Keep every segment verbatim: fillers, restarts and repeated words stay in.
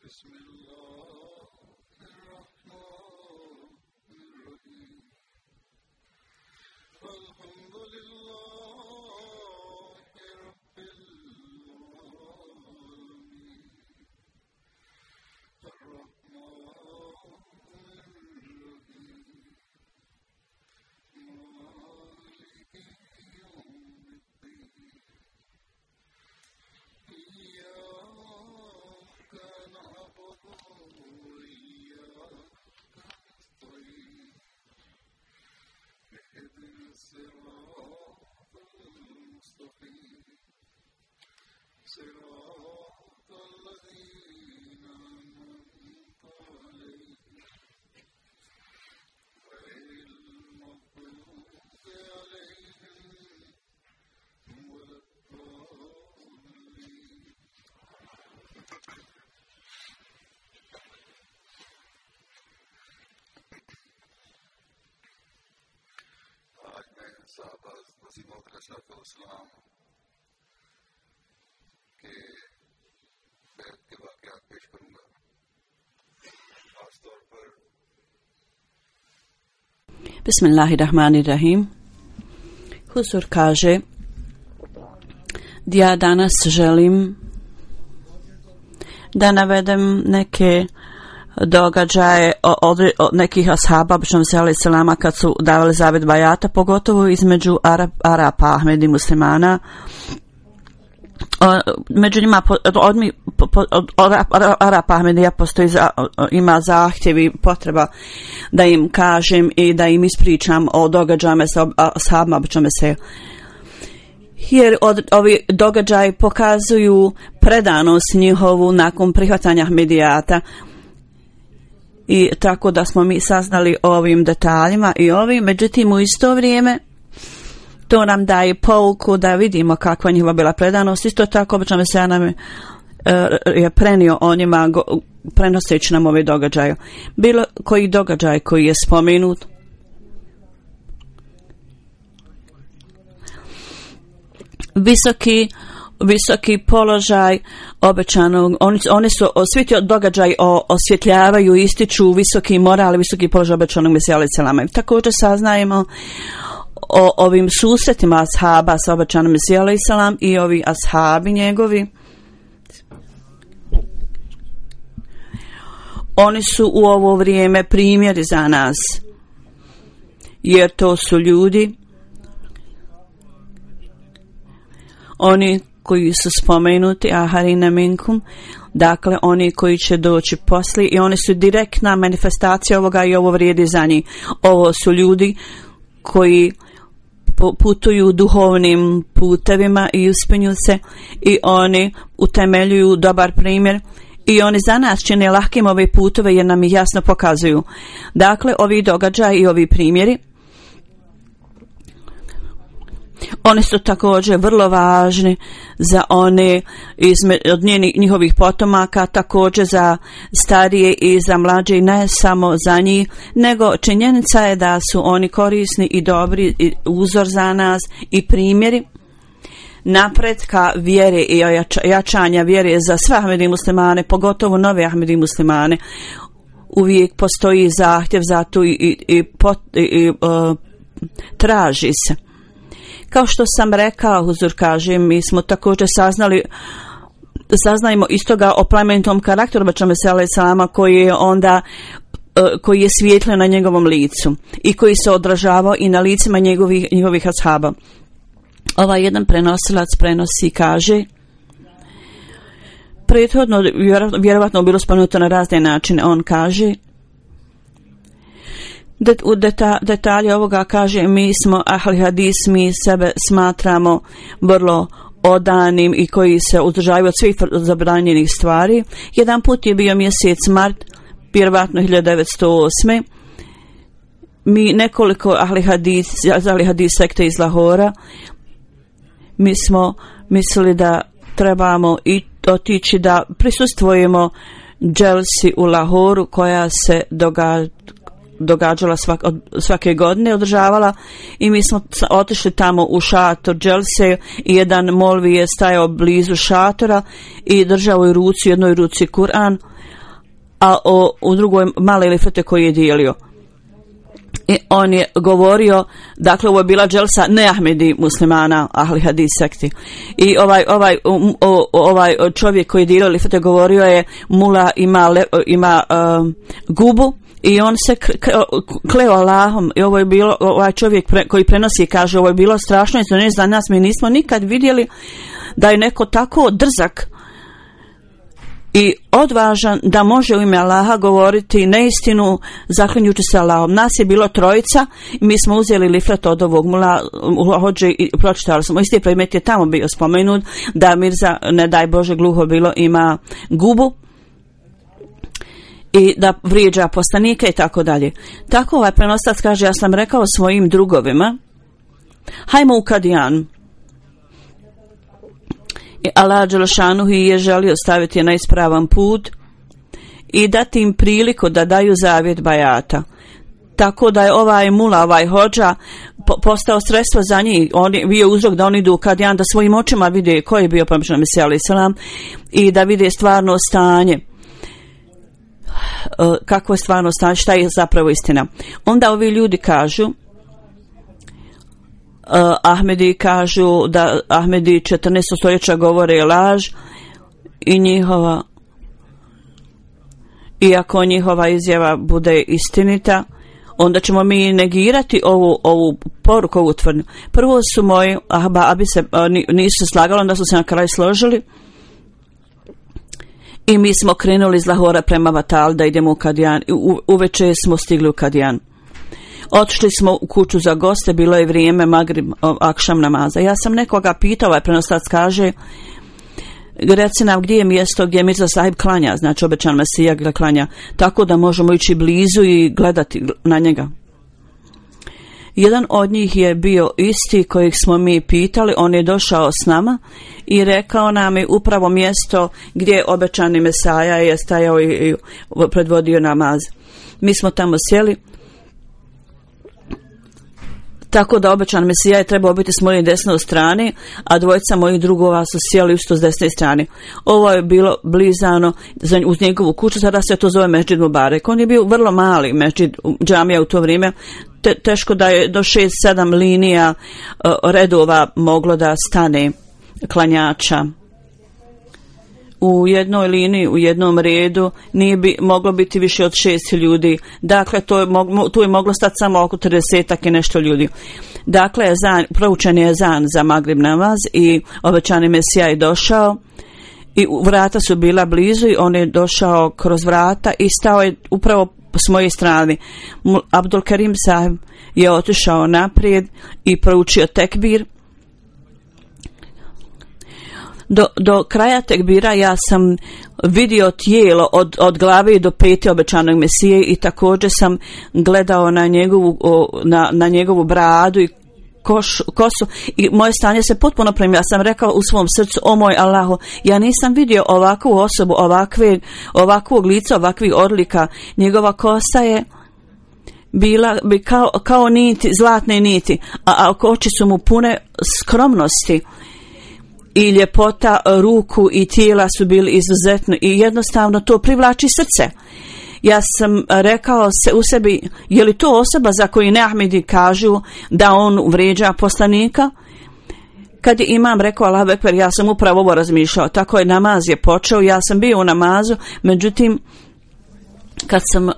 بسم الله الرحمن الرحيم الحمد لله رب العالمين الرحمن الرحيم مالك يوم الدين إياك نعبد وإياك نستعين اهدنا الصراط المستقيم صراط الذين أنعمت عليهم غير المغضوب عليهم ولا الضالين. आज मैं साहबा वसीम अलैहिस्सलाम के बैत के वाक़यात पेश करूंगा। खासतौर पर Bismillahirrahmanirrahim. Huzur kaže: ja danas želim da navedem neke događaje od, od nekih ashaba alejhiselama kad su davali zavet bajata, pogotovo između Arab, Arapa, Ahmedi muslimana. Među njima od, od, od, od Arapa Ahmedija postoji za, ima zahtjev i potreba da im kažem i da im ispričam o događajima sa ashabima se, jer od, ovi događaji pokazuju predanost njihovu nakon prihvatanja Ahmedijata, i tako da smo mi saznali o ovim detaljima i ovim. Međutim, u isto vrijeme to nam daje pouku da vidimo kakva njihova bila predanost. Isto tako obično se nam je prenio o njima prenoseći nam ove događaje. Bilo koji događaj koji je spomenut, visoki visoki položaj obećanog, oni, oni su svi ti događaji osvjetljavaju, ističu visoki moral, visoki položaj obećanog Mesija alejhiselama. Također saznajemo o ovim susretima ashaba sa obećanim Mesija alejhiselam i ovi ashabi njegovi. Oni su u ovo vrijeme primjeri za nas, jer to su ljudi, oni koji su spomenuti, aharina minkum, dakle oni koji će doći poslije, i oni su direktna manifestacija ovoga i ovo vrijedi za njih. Ovo su ljudi koji putuju duhovnim putevima i uspenju se, i oni utemeljuju dobar primjer, i oni za nas čine lahkim ove putove jer nam ih jasno pokazuju. Dakle, ovi događaji i ovi primjeri, oni su također vrlo važni za one izme, od njihovih potomaka, također za starije i za mlađe, i ne samo za njih, nego činjenica je da su oni korisni i dobri i uzor za nas i primjeri napretka vjere i jačanja vjere za sve Ahmedi muslimane, pogotovo nove Ahmedi muslimane. Uvijek postoji zahtjev za to i, i, i, pot, i, i uh, traži se. Kao što sam rekao, huzur kaže, mi smo također saznali, saznajemo istoga o plemenitom karakteru Mesija alejhiselama koji je onda koji je svijetlio na njegovom licu i koji se odražavao i na licima njegovih, njegovih ashaba. Ovaj jedan prenosilac prenosi, kaže, prethodno vjerovatno bilo spomenuto na razne načine, on kaže, Det, u deta, detalje ovoga kaže, mi smo ahli hadis, mi sebe smatramo vrlo odanim i koji se uzdržavaju od svih zabranjenih stvari. Jedan put je bio mjesec mart, vjerovatno hiljadu devetsto osme. Mi nekoliko ahli hadis, ahli hadis sekte iz Lahora, mi smo mislili da trebamo i otići da prisustvujemo dželsi u Lahoru koja se događa događala svak, svake godine, održavala, i mi smo otišli tamo u šator dželse i jedan molvi je stajao blizu šatora i držao u ruci, u jednoj ruci Kur'an, a o, u drugoj male lifete koji je dijelio. I on je govorio, dakle ovo je bila dželsa ne Ahmedi muslimana, ahli hadis sekti. I ovaj ovaj o, ovaj čovjek koji je dijelio lifete govorio je mula ima le, ima uh, gubu i on se kleo Allahom, i ovo je bilo, ovaj čovjek pre, koji prenosi kaže ovo je bilo strašno i za nas, mi nismo nikad vidjeli da je neko tako drzak i odvažan da može u ime Allaha govoriti neistinu zaklinjući se Allahom. Nas je bilo trojica i mi smo uzeli liflet od ovog mula hođe i pročitali smo. Isti predmet je tamo bio spomenut da Mirza, ne daj Bože gluho bilo, ima gubu i da vrijeđa poslanike i tako dalje. Tako ovaj prenostac kaže, ja sam rekao svojim drugovima, hajmo u Kadijan. Allah Đelešanuhu je želio staviti na ispravan put i dati im priliku da daju zavjet bajata. Tako da je ovaj mula, ovaj hođa postao sredstvo za njih. On je bio uzrok da oni idu u Kadijan, da svojim očima vide ko je bio promješan Mesija alejhi selam i da vide stvarno stanje. Kako je stvarno stanje, šta je zapravo istina. Onda ovi ljudi kažu, Uh, Ahmedi kažu da Ahmedi četrnaestog stoljeća govore laž i njihova, iako njihova izjava bude istinita, onda ćemo mi negirati ovu, ovu poruku, ovu tvrdnju. Prvo su moji ahbabi se nisu se slagali, onda su se na kraju složili i mi smo krenuli iz Lahora prema Vatal da idemo u Kadijan. U, uveče smo stigli u Kadijan. Otišli smo u kuću za goste, bilo je vrijeme Magrib, akšam namaza. Ja sam nekoga pitao, ovaj prenostac kaže, reci nam gdje je mjesto gdje Mirza sahib klanja, znači obećan Mesija ga klanja, tako da možemo ići blizu i gledati na njega. Jedan od njih je bio isti kojeg smo mi pitali, on je došao s nama i rekao nam je upravo mjesto gdje obećani Mesaja je stajao i predvodio namaz. Mi smo tamo sjeli, tako da obećan Mesija je trebao biti s moje desne strane, a dvojica mojih drugova su sjeli isto s desne strane. Ovo je bilo blizano uz njegovu kuću, sada se to zove Mesdžid Mubarek. On je bio vrlo mali mesdžid, džamija u to vrijeme, Te, teško da je do šest sedam linija uh, redova moglo da stane klanjača. U jednoj liniji, u jednom redu nije bi moglo biti više od šest ljudi. Dakle, to je moglo, tu je moglo stati samo oko tridesetak i nešto ljudi. Dakle, zan, proučen je zan za Magrib namaz i obećani Mesija je došao i vrata su bila blizu i on je došao kroz vrata i stao je upravo s moje strane. Abdul Karim sahib je otišao naprijed i proučio tekbir. Do, do kraja tekbira ja sam vidio tijelo od, od glave do pete obećanog Mesije i također sam gledao na njegovu, na, na njegovu bradu i koš, kosu i moje stanje se potpuno promijenilo. Ja sam rekao u svom srcu, o moj Allahu, ja nisam vidio ovakvu osobu, ovakve, ovakvog lica, ovakvih odlika. Njegova kosa je bila bi kao, kao niti, zlatne niti, a, a oči su mu pune skromnosti. I ljepota ruku i tijela su bili izuzetno i jednostavno to privlači srce. Ja sam rekao se u sebi, je li to osoba za koju ne Ahmedi kažu da on vrijeđa poslanika? Kad je imam rekao Allahu ekber, ja sam upravo ovo razmišljao. Tako je namaz je počeo, ja sam bio u namazu, međutim kad sam uh,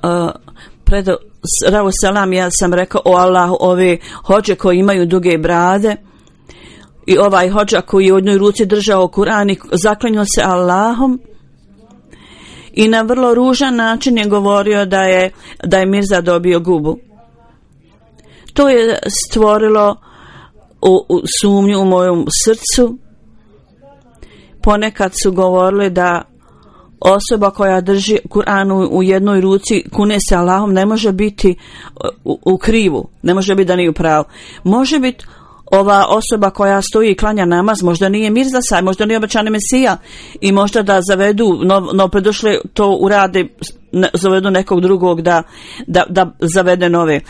predao Ravu selam, ja sam rekao o Allahu, ove hođe koji imaju duge brade i ovaj hođa koji je u jednoj ruci držao Kur'an i zaklinjao se Allahom i na vrlo ružan način je govorio da je, da je Mirza dobio gubu. To je stvorilo u, u sumnju u mojom srcu. Ponekad su govorili da osoba koja drži Kur'an u jednoj ruci, kune se Allahom, ne može biti u, u krivu, ne može biti da nije u pravu. Može biti ova osoba koja stoji i klanja namaz možda nije Mirza Sahib, možda nije obećani Mesija i možda da zavedu no, no predošle to urade, ne, zavedu nekog drugog da, da, da zavede nove.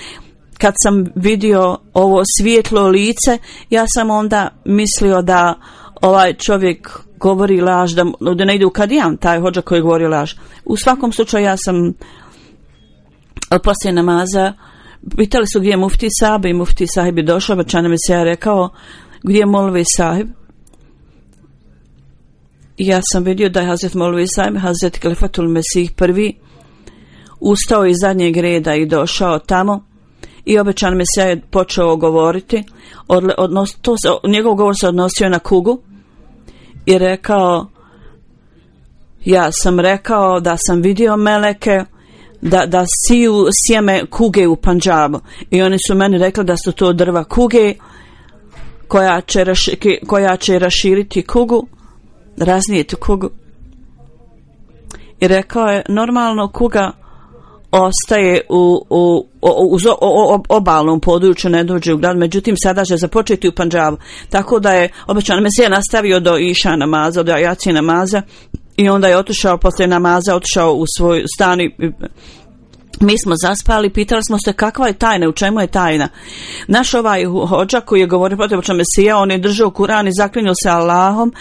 Kad sam vidio ovo svijetlo lice, ja sam onda mislio da ovaj čovjek govori laž, da, da ne ide u kadijan, taj hodža koji govori laž. U svakom slučaju ja sam poslije namaza pitali su gdje je mufti sahib i mufti sahib je došao, obećani Mesija rekao gdje je Molvi sahib. I ja sam vidio da je Hazret Molvi sahib, Hazret Kalifatul Mesih prvi ustao iz zadnjeg reda i došao tamo i obećani Mesija je počeo govoriti. Odle, odnos, to se, njegov govor se odnosio na kugu i rekao, ja sam rekao da sam vidio meleke da, da siju sjeme kuge u Pandžabu i oni su meni rekli da su to drva kuge koja će, raši, koja će raširiti kugu, raznijeti kugu. I rekao je, normalno kuga ostaje u, u, u, u, u obalnom području, ne dođe u grad, međutim sada će započeti u Pandžabu. Tako da je obećan Mesija nastavio do iša namaza, do jacije namaza i onda je otišao poslije namaza, otišao u svoj stan i mi smo zaspali, pitali smo se kakva je tajna, u čemu je tajna. Naš ovaj hodža koji je govorio protiv obećanog Mesija, on je držao Kuran i zaklinjao se Allahom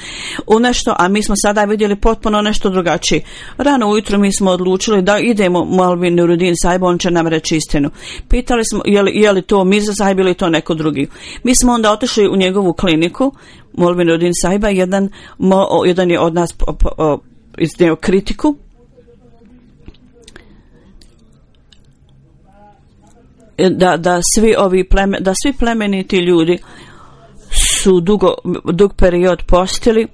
u nešto, a mi smo sada vidjeli potpuno nešto drugačije. Rano ujutro mi smo odlučili da idemo Molvi Nuruddin Sahib, on će nam reći istinu. Pitali smo je li, je li to Mirza Sahib ili to neko drugi. Mi smo onda otišli u njegovu kliniku, Molvi Nuruddin Sahiba, jedan, mo, jedan je od nas iznio kritiku. Da, da svi ovi pleme, da svi plemeniti ljudi su dugo, dug period postili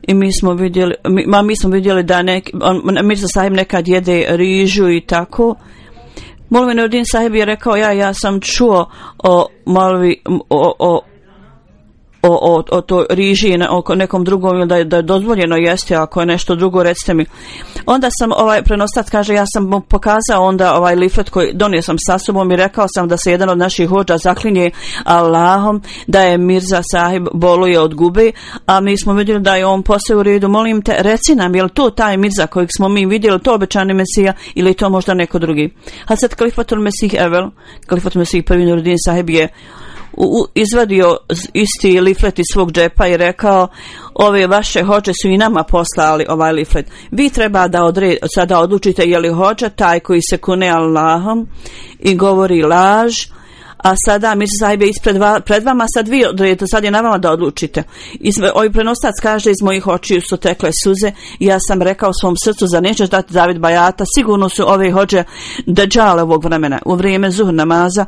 i mi smo vidjeli, mi, ma, mi smo vidjeli da neki, on, Mirza Sahib nekad jede rižu i tako. Molvi Nuruddin Sahib je rekao, ja, ja sam čuo o Molvi, o, o o, o, o to riži i o nekom drugom, da je, da je dozvoljeno jesti, ako je nešto drugo recite mi. Onda sam, ovaj prenostac kaže, ja sam mu pokazao onda ovaj liflet koji donio sam sa sobom i rekao sam da se jedan od naših hodža zaklinje Allahom da je Mirza Sahib boluje od gube, a mi smo vidjeli da je on posle u redu. Molim te, reci nam, je li to taj Mirza kojeg smo mi vidjeli, to obećani Mesija ili to možda neko drugi? A sad Kalifatul Mesih Evel, Kalifatul Mesih prvi Nuruddin Sahib je U, izvadio isti liflet iz svog džepa i rekao, ove vaše hodže su i nama poslali ovaj liflet. Vi treba da odre, sada odlučite je li hodža taj koji se kune Allahom i govori laž, a sada Mirza Sahib je ispred va, pred vama, sad vi odredite, sad je na vama da odlučite. Iz, ovaj prenostac kaže, iz mojih očiju su tekle suze i ja sam rekao svom srcu, za nećeš dati zavid bajata, sigurno su ove hodže deđale ovog vremena. U vrijeme zuhr namaza,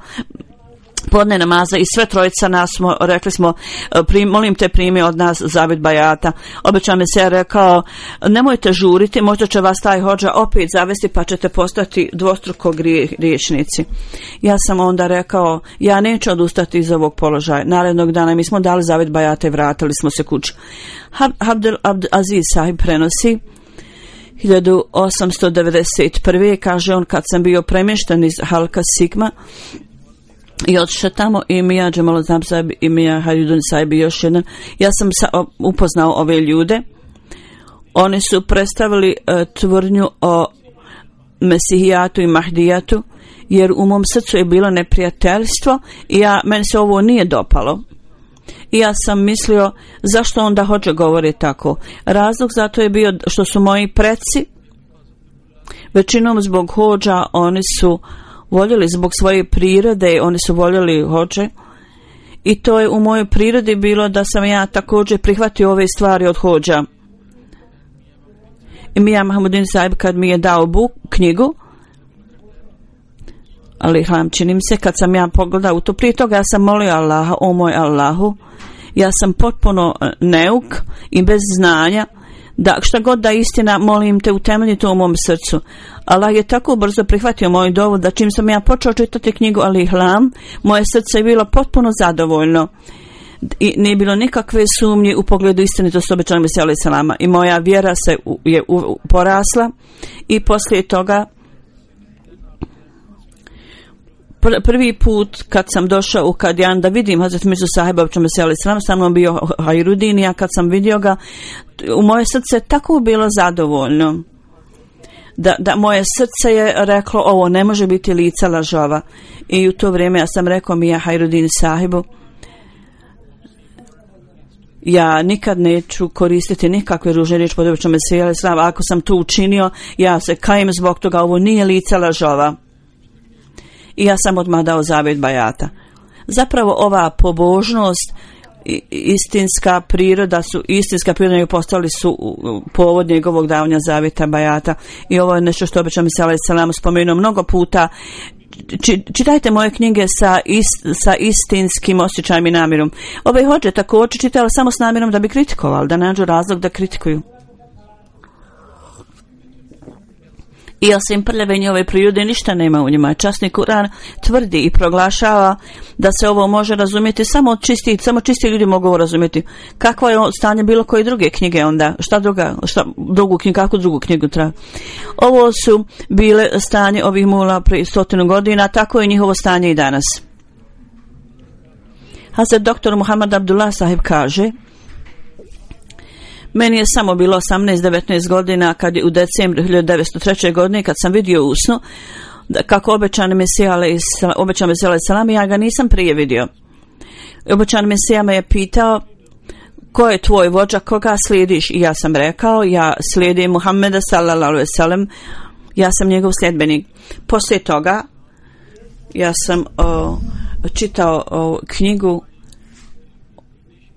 podne namaza i sve trojica nas smo, rekli smo, prim, molim te primi od nas zavid bajata. Obećan Mesija rekao, nemojte žuriti, možda će vas taj hodža opet zavesti pa ćete postati dvostruko griješnici. Ja sam onda rekao, ja neću odustati iz ovog položaja. Narednog dana mi smo dali zavid bajata i vratili smo se kući. Abdel Abdel Aziz Sahib prenosi, hiljadu osamsto devedeset prve kaže on, kad sam bio premješten iz Halka Sigma i otišao tamo i Mija Džemal Znam Sahib i Mija Haridun Sahib i još jedan. Ja sam sa, o, upoznao ove ljude. Oni su predstavili uh, tvrdnju o Mesihijatu i Mahdijatu, jer u mom srcu je bilo neprijateljstvo i ja, meni se ovo nije dopalo. I ja sam mislio, zašto onda hođe govori tako? Razlog za to je bio što su moji preci, većinom zbog hođa, oni su voljeli zbog svoje prirode, oni su voljeli hođe i to je u mojoj prirodi bilo da sam ja također prihvatio ove stvari od hođa. I Mija Mahmudin Sahib kad mi je dao buk, knjigu, ali hlam činim se, kad sam ja pogledao u to, prije toga ja sam molio Allaha, o moj Allahu, ja sam potpuno neuk i bez znanja, da šta god da istina, molim te, utemelji to u mom srcu. Allah je tako brzo prihvatio moj dovod da čim sam ja počeo čitati knjigu Al-Ihlam, moje srce je bilo potpuno zadovoljno i nije bilo nikakve sumnje u pogledu istinitosti obećanog Mesija alejhi selama i moja vjera se u, je u, u, porasla i poslije toga pr- prvi put kad sam došao u Kadijan da vidim Hazret Mirzu Sahiba Mesih alejhi selam, sa mnom bio Hajrudin, ja kad sam vidio ga, u moje srce tako bilo zadovoljno. Da, da moje srce je reklo, ovo ne može biti lica lažova. I u to vrijeme ja sam rekao mi ja Hajrudin Sahibu, ja nikad neću koristiti nikakve ružne riječi pod običnom Mesih alejhi selam. Ako sam to učinio, ja se kajem zbog toga, ovo nije lica lažova. I ja sam odmah dao zavjet bajata. Zapravo ova pobožnost, istinska priroda su, istinska priroda i postali su povod njegovog davanja zavjeta bajata. I ovo je nešto što obično Mesih alejhi selam spomenuo mnogo puta. Čitajte moje knjige sa, ist, sa istinskim osjećajem i namjerom. Ove hođe također čitali samo s namjerom da bi kritikovali, da nađu razlog da kritikuju. I osim prljave njove prirode ništa nema u njima. Časni Kur'an tvrdi i proglašava da se ovo može razumjeti samo čisti, samo čisti ljudi mogu ovo razumjeti. Kakvo je stanje bilo koje druge knjige onda? Šta druga, šta drugu knjigu, kako drugu knjigu treba? Ovo su bile stanje ovih mula prije stotinu godina, tako je njihovo stanje i danas. Hazret doktor Muhammad Abdullah Sahib kaže: meni je samo bilo osamnaest devetnaest godina kad je u decembru hiljadu devetsto treće. godine kad sam vidio u snu da kako obećani Mesih alejhi selam, ja ga nisam prije vidio. Obećani Mesija me je pitao: ko je tvoj vođa, koga slijediš? I ja sam rekao: ja slijedim Muhammeda sallallahu alejhi ve sellem, ja sam njegov sljedbenik. Poslije toga ja sam o, čitao o, knjigu,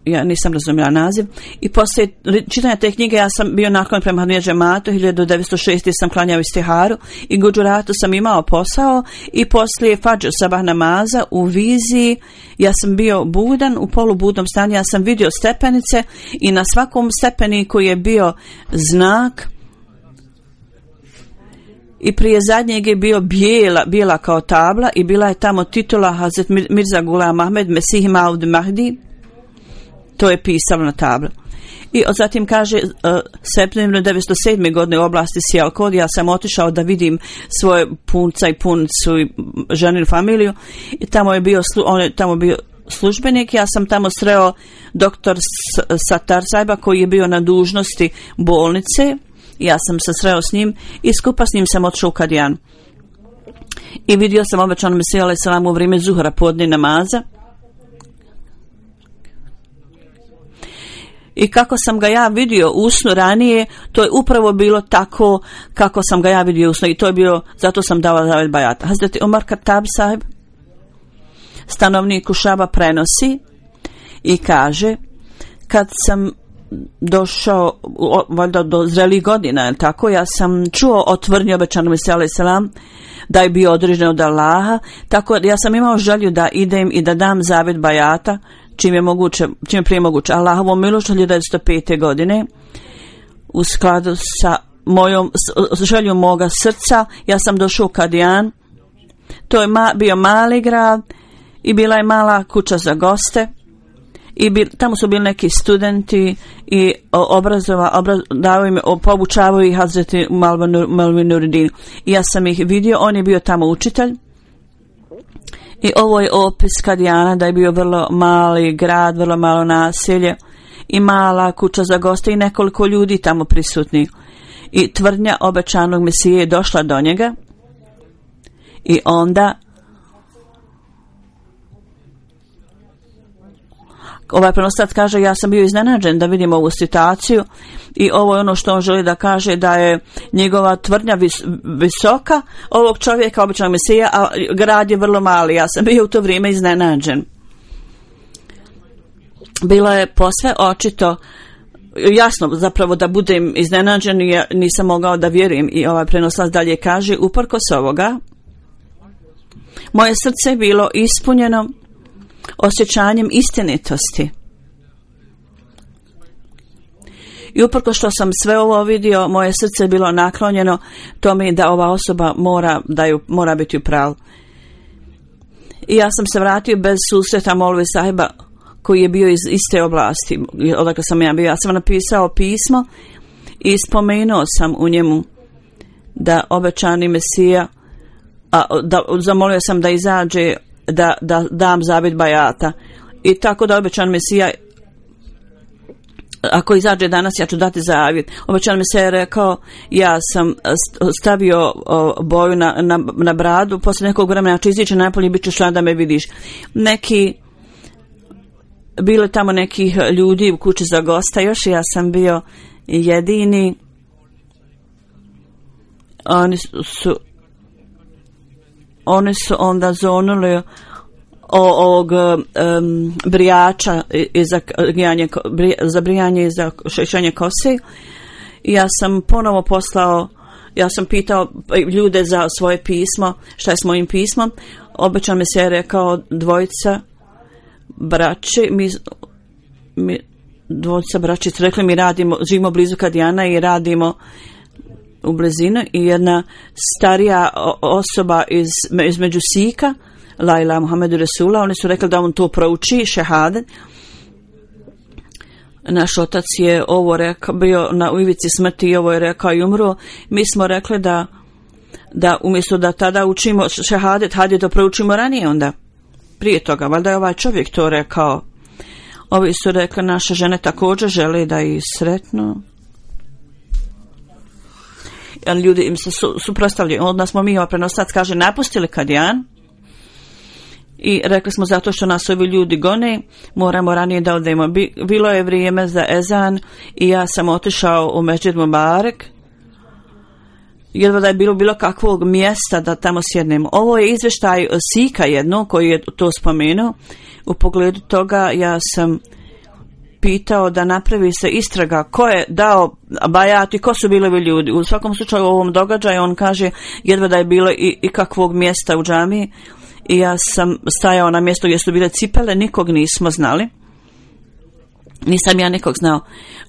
ja nisam razumjela naziv, i poslije čitanja te knjige ja sam bio naklon prema Ahmadija džematu. hiljadu devetsto šeste. sam klanjao istiharu i Gudžuratu sam imao posao, i poslije fadž sabah namaza u viziji ja sam bio budan, u polubudnom stanju. Ja sam vidio stepenice i na svakom stepeniku je bio znak, i prije zadnjeg je bio bijela, bijela kao tabla, i bila je tamo titula Hazret Mirza Ghulam Ahmed Mesih Maud Mahdi. To je pisalo na tablu. I zatim kaže, uh, septembra devetsto sedme. godine u oblasti Sijalkot ja sam otišao da vidim svoje punca i puncu i ženinu familiju, i tamo je bio, on je tamo bio službenik. Ja sam tamo sreo doktor Satar Sajba koji je bio na dužnosti bolnice. Ja sam se sreo s njim i skupa s njim sam otišao u Kadijan. I vidio sam obećanog Mesija alejhi selam u vrijeme zuhra podne namaza. I kako sam ga ja vidio u snu ranije, to je upravo bilo tako kako sam ga ja vidio u snu, i to je bilo, zato sam dao zavjet bajata. Hazreti Omar Khattab Sahib, stanovnik Kušaba, prenosi i kaže: kad sam došao valjda do zrelih godina, je tako, ja sam čuo o tvrdnji obećanog Mesija alejhi selam da je bio određen od Allaha, tako ja sam imao želju da idem i da dam zavjet bajata čim je moguće, čim je prije moguće. Allahovom milošću hiljadu devetsto pete. godine u skladu sa mojom s željom moga srca ja sam došao u Kadijan. To je ma, bio mali grad i bila je mala kuća za goste, i bil, tamo su bili neki studenti i obrazova, obraz, dao im, pobučavaju ih Hazreti Malvi Nuruddin. I ja sam ih vidio, on je bio tamo učitelj. I ovo je opis Kadijana, da je bio vrlo mali grad, vrlo malo naselje i mala kuća za goste i nekoliko ljudi tamo prisutni. I tvrdnja obećanog Mesije je došla do njega, i onda ovaj prenoslac kaže: ja sam bio iznenađen da vidim ovu situaciju, i ovo je ono što on želi da kaže, da je njegova tvrdnja vis, visoka ovog čovjeka, običnog Mesija, a grad je vrlo mali. Ja sam bio u to vrijeme iznenađen. Bilo je posve očito, jasno zapravo da budem iznenađen, ja nisam mogao da vjerujem. I ovaj prenoslac dalje kaže: uprkos ovoga, moje srce je bilo ispunjeno osjećanjem istinitosti. I uprkos što sam sve ovo vidio, moje srce je bilo naklonjeno tome da ova osoba mora, da ju, mora biti u pravu. I ja sam se vratio bez susreta Molvi Sahiba koji je bio iz iste oblasti odakle sam ja bio. Ja sam napisao pismo i spomenuo sam u njemu da obećani Mesija a, da, zamolio sam da izađe da, da dam zavjet bajata. I tako da obećan Mesija, ako izađe danas, ja ću dati zavjet. Obećan Mesija je rekao, ja sam stavio boju na, na, na bradu, posle nekog vremena ja ću izići napolje i bit ćeš da me vidiš. Neki, bilo tamo nekih ljudi u kući za gosta, još ja sam bio jedini. Oni su oni su onda zonuli o, ovog um, brijača i za, grijanje, za brijanje i za šešanje kose. I ja sam ponovo poslao, ja sam pitao ljude za svoje pismo, šta je s mojim pismom. Obećan mi se je rekao dvojica braće, mi, mi dvojica braće su rekli mi radimo, živimo blizu Kadijana i radimo u blizinu, i jedna starija osoba iz, između Sika, Laila Muhammedu Resula, oni su rekli da on to prouči, šehadet. Naš otac je ovo rekao, bio na ivici smrti i ovo je rekao i umro. Mi smo rekli da, da umjesto da tada učimo šehadet, hajde to proučimo ranije onda. Prije toga, valjda je ovaj čovjek to rekao. Ovi su rekli, naše žene također žele da ih sretnu. Ali ljudi im se su, suprostavljaju. Onda smo mi, ovaj prenosac kaže, napustili Kadijan i rekli smo zato što nas ovi ljudi gone, moramo ranije da odemo. Bilo je vrijeme za ezan i ja sam otišao u Mesdžid Mubarek. Jedva da je bilo bilo kakvog mjesta da tamo sjednemo. Ovo je izvještaj Sika jedno koji je to spomenuo. U pogledu toga ja sam pitao da napravi se istraga ko je dao bajat i ko su bili ovi ljudi. U svakom slučaju u ovom događaju on kaže jedva da je bilo i, i kakvog mjesta u džamiji, i ja sam stajao na mjestu gdje su bile cipele, nikog nismo znali. Nisam ja nikog znao.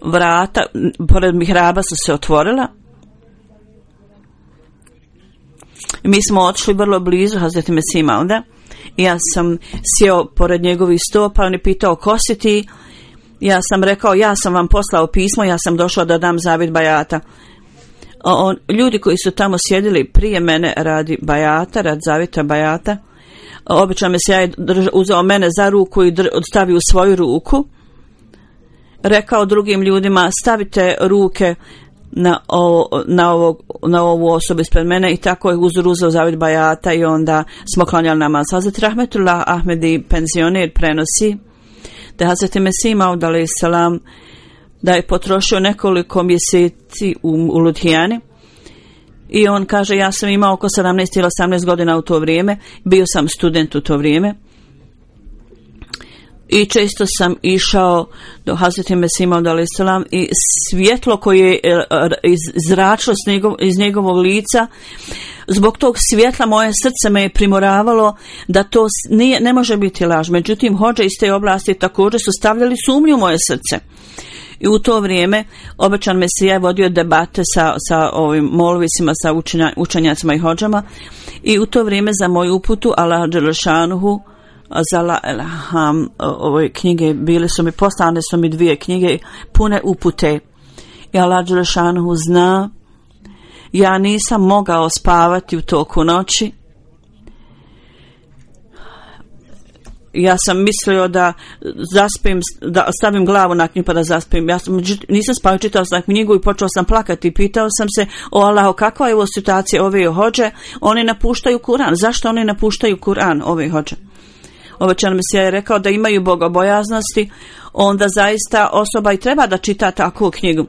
Vrata pored mihraba su se otvorila. Mi smo otišli vrlo blizu Hazreti Mesih Mauda i ja sam sjeo pored njegovih stopa. On je pitao ko si ti? Ja sam rekao, ja sam vam poslao pismo, ja sam došao da dam zavjet bajata. On, ljudi koji su tamo sjedili prije mene radi bajata, radi zavjeta bajata, obično me se ja uzeo mene za ruku i stavio u svoju ruku. Rekao drugim ljudima, stavite ruke na, ovo, na, ovog, na ovu osobu ispred mene, i tako je uzor uzeo zavjet bajata i onda smo klanjali namaz. Hazret Rahmetullah Ahmedi, penzioner, prenosi da Hazreti Mesih Maud alejhi selam da je potrošio nekoliko mjeseci u, u Ludhijani, i on kaže, ja sam imao oko sedamnaest ili osamnaest godina u to vrijeme, bio sam student u to vrijeme i često sam išao do Hazreti Mesih Maud alejhi selam i svjetlo koje je izračilo njegov, iz njegovog lica, zbog tog svjetla moje srce me je primoravalo da to nije, ne može biti laž. Međutim, hodže iz te oblasti također su stavljali sumnju u moje srce. I u to vrijeme obećan Mesija je vodio debate sa, sa ovim molvisima, sa učenja, učenjacima i hodžama, i u to vrijeme za moju uputu Allah dželešanuhu za la elham ove knjige bile su mi poslane su mi dvije knjige pune upute, i Allah dželešanuhu zna, ja nisam mogao spavati u toku noći. Ja sam mislio da zaspim, da stavim glavu na knjigu pa da zaspim. Ja sam, nisam spavio, čitao sam knjigu i počeo sam plakati i pitao sam se, o Allaho, kakva je ovo situacija, ove hođe, oni napuštaju Kur'an. Zašto oni napuštaju Kur'an, ove hođe? Obećan Mesija je rekao da imaju bogobojaznosti, onda zaista osoba i treba da čita takvu knjigu.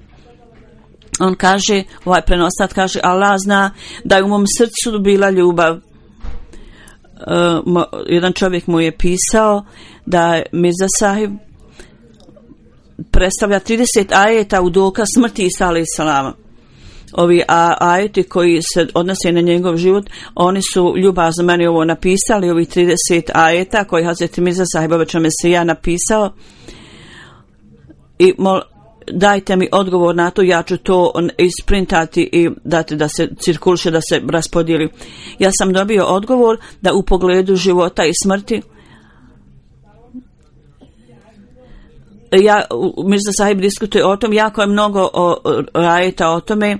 On kaže, ovaj prenosat kaže, Allah zna da je u mom srcu bila ljubav. Uh, jedan čovjek mu je pisao da je Mirza Sahib predstavlja trideset ajeta u dokaz smrti Isa alejhi selama. Ovi a, ajeti koji se odnose na njegov život, oni su ljubazno meni ovo napisali, ovi trideset ajeta koji Hazreti Mirza Sahib obećan Mesija napisao, i mol, dajte mi odgovor na to, ja ću to isprintati i dati da se cirkuliše, da se raspodijeli. Ja sam dobio odgovor da u pogledu života i smrti, ja, Mirza Sahib diskutuje o tom, jako je mnogo o, o, ajeta o tome,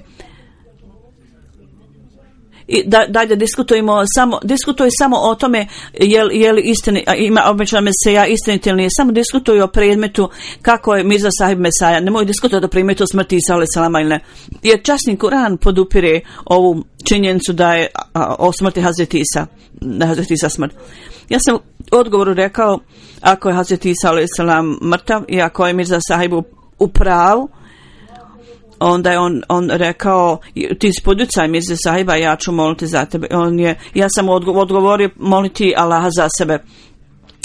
i da, dalje diskutujemo samo, diskutuj samo o tome je li, je li istini, ima obećana Meseja istinit ili nije, samo diskutuju o predmetu kako je Mirza Sahib Mesaja, nemoj diskutovati o predmetu smrti Isa alejhi selama ili ne, jer časni Kuran podupire ovu činjenicu da je a, o smrti Hazreti Isa, da Hazreti Isa smrt. Ja sam u odgovoru rekao, ako je Hazreti Isa alejhi selam mrtav i ako je Mirza Sahib u, u pravu, onda je on, on rekao, ti spodjucaj Mirza Sahiba, ja ću moliti za tebe. On je, ja sam odgovorio, moliti Allaha za sebe.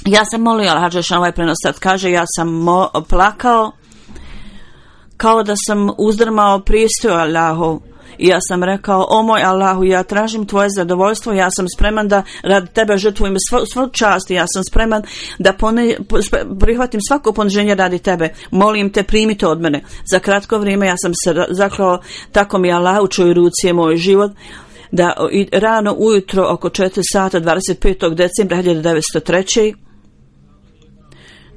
Ja sam molio Allaha, Đelešanu, ovaj prenosac kaže, ja sam mo, plakao kao da sam uzdrmao prijestoj Allahu. I ja sam rekao, o moj Allahu, ja tražim tvoje zadovoljstvo, ja sam spreman da radi tebe žrtvujem svu, svu čast, ja sam spreman da pone, prihvatim svako poniženje radi tebe, molim te, primi to od mene. Za kratko vrijeme ja sam se zaklao, tako mi Allah u čoj ruci je moj život, da rano ujutro oko četiri sata dvadeset petog decembra hiljadu devetsto treće.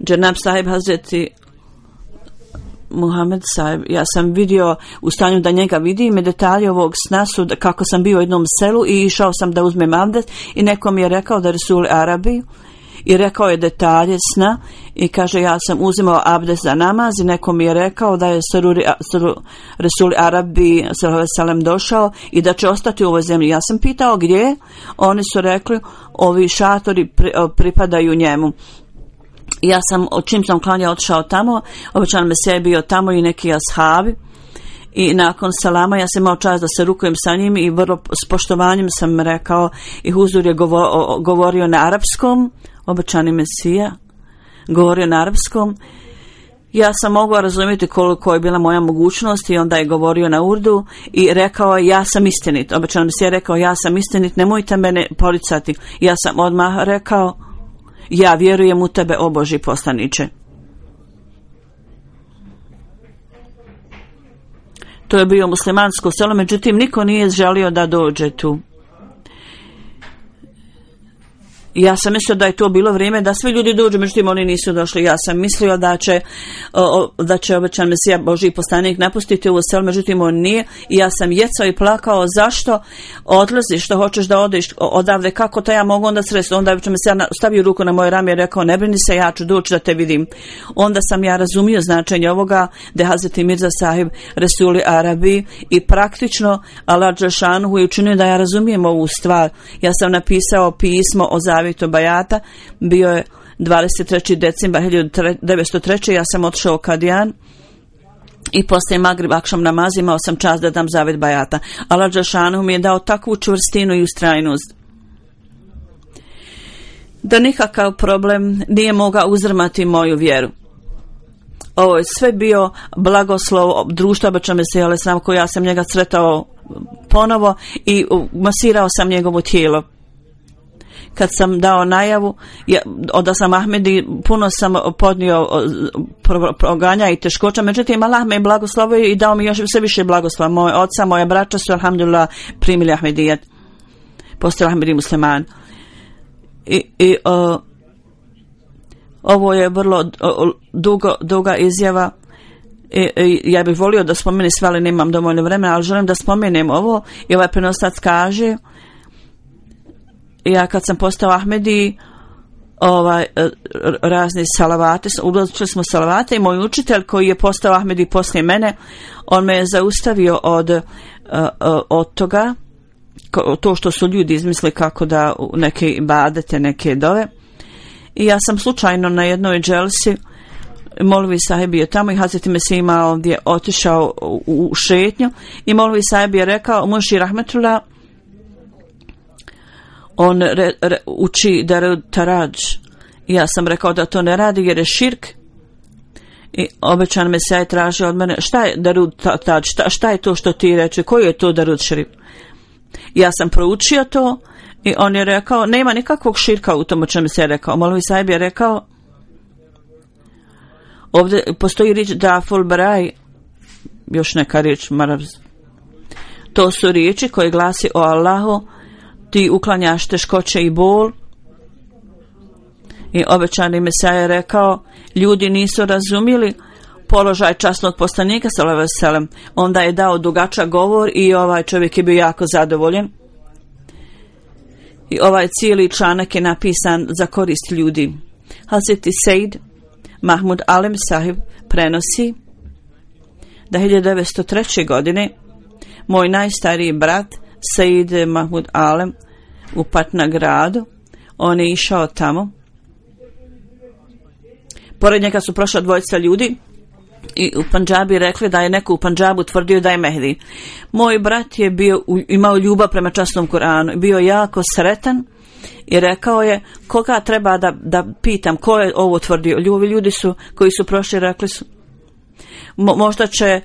Dženab Sahib Hazreti Muhammed Sahib, ja sam vidio u stanju da njega vidim i detalje ovog sna su da, kako sam bio u jednom selu i išao sam da uzmem abdest i neko mi je rekao da Resul Arabi i rekao je detalje sna i kaže ja sam uzimao abdest za namaz i neko mi je rekao da je Saruri, Saruri, Resul Arabi sallam došao i da će ostati u ovoj zemlji. Ja sam pitao gdje, oni su rekli ovi šatori pri, pripadaju njemu. Ja sam, čim sam klanja otišao tamo, obećan Mesija je bio tamo i neki ashabi i nakon salama ja sam imao čast da se rukujem sa njim i vrlo s poštovanjem sam rekao i huzur je govo, govorio na arapskom, obećani Mesija govorio na arapskom. Ja sam mogla razumjeti koliko je bila moja mogućnost i onda je govorio na urdu i rekao ja sam istinit. Obećan Mesija je rekao ja sam istinit, nemojte mene poricati. Ja sam odmah rekao ja vjerujem u tebe, o Božji poslaniče. To je bio muslimansko selo, međutim niko nije želio da dođe tu. Ja sam mislio da je to bilo vrijeme da svi ljudi dođu, međutim oni nisu došli. Ja sam mislio da će, o, da će obećan Mesija Božji poslanik napustiti ovo selo, međutim on nije. I ja sam jecao i plakao, zašto odlaziš, što hoćeš da odeš odavde, kako to ja mogu onda sredstvo. Onda obećan Mesija stavio ruku na moje rame i rekao, ne brini se, ja ću doći da te vidim. Onda sam ja razumio značenje ovoga, da je Hazreti Mirza Sahib Resuli Arabi i praktično Allah Đelešanu je učinio da ja razumijem ovu stvar. Ja sam napisao pismo o Zavjetu Bajata, bio je dvadeset trećeg decembra hiljadu devetsto treće. Ja sam otišao u Kadijan i poslije Magrib akšam namaz imao sam čast da dam Zavjet Bajata. Allah Đelešanu mi je dao takvu čvrstinu i ustrajnost da nikakav problem nije mogao uzdrmati moju vjeru. Ovo je sve bio blagoslov društva obećan Mesija alejhi selam, koji ja sam njega sretao ponovo i masirao sam njegovo tijelo. Kad sam dao najavu ja, da sam Ahmedi, puno sam podnio proganja i teškoća, međutim Allah me je blagoslovio i dao mi još sve više blagoslova. Moje oca, moja braća su alhamdulillah primili Ahmedijet, postali Ahmedi musliman. I, i o, ovo je vrlo o, dugo, duga izjava. I, i, ja bih volio da spomenem sve, ali nemam dovoljno vremena, ali želim da spomenem ovo. I ovaj prenosac kaže, ja kad sam postao Ahmedi, ovaj, razni salavate, učili smo salavate i moj učitelj koji je postao Ahmedi poslije mene, on me je zaustavio od, od toga, to što su ljudi izmisli kako da neke ibadete, neke dove. I ja sam slučajno na jednoj dželsi, Molvi Sahib je tamo i Hazreti Mesija ima ovdje otišao u, u šetnju i Molvi Sahib je rekao, Muši Rahmetullah, on re, re, uči Darud Tarađ. Ja sam rekao da to ne radi jer je širk. I obećan Mesija je tražio od mene, šta je Darud Tarađ, šta, šta je to što ti reče, koji je to Darud širk? Ja sam proučio to i on je rekao, nema nikakvog širka u tom o čemu se je rekao. Molvi Sahib je rekao, ovdje postoji riječ Daful Baraj, još neka riječ Marabz. To su riječi koje glasi o Allahu, ti uklanjaš teškoće i bol. I obećani Mesija je rekao, ljudi nisu razumjeli položaj časnog poslanika sallallahu alejhi ve sellem. Onda je dao dugačak govor i ovaj čovjek je bio jako zadovoljen. I ovaj cijeli članak je napisan za korist ljudi. Hazreti Sejd Mahmud Alem Sahib prenosi da hiljadu devetsto treće. godine moj najstariji brat Sejd Mahmud Alem u Patna gradu, on je išao tamo. Pored njega su prošla dvojica ljudi i u Pandžabi rekli da je neko u Pandžabu tvrdio da je Mehdi. Moj brat je bio, imao ljubav prema časnom Kuranu, bio jako sretan i rekao je koga treba da, da pitam ko je ovo tvrdio. Ljubi ljudi su koji su prošli rekli su mo, možda će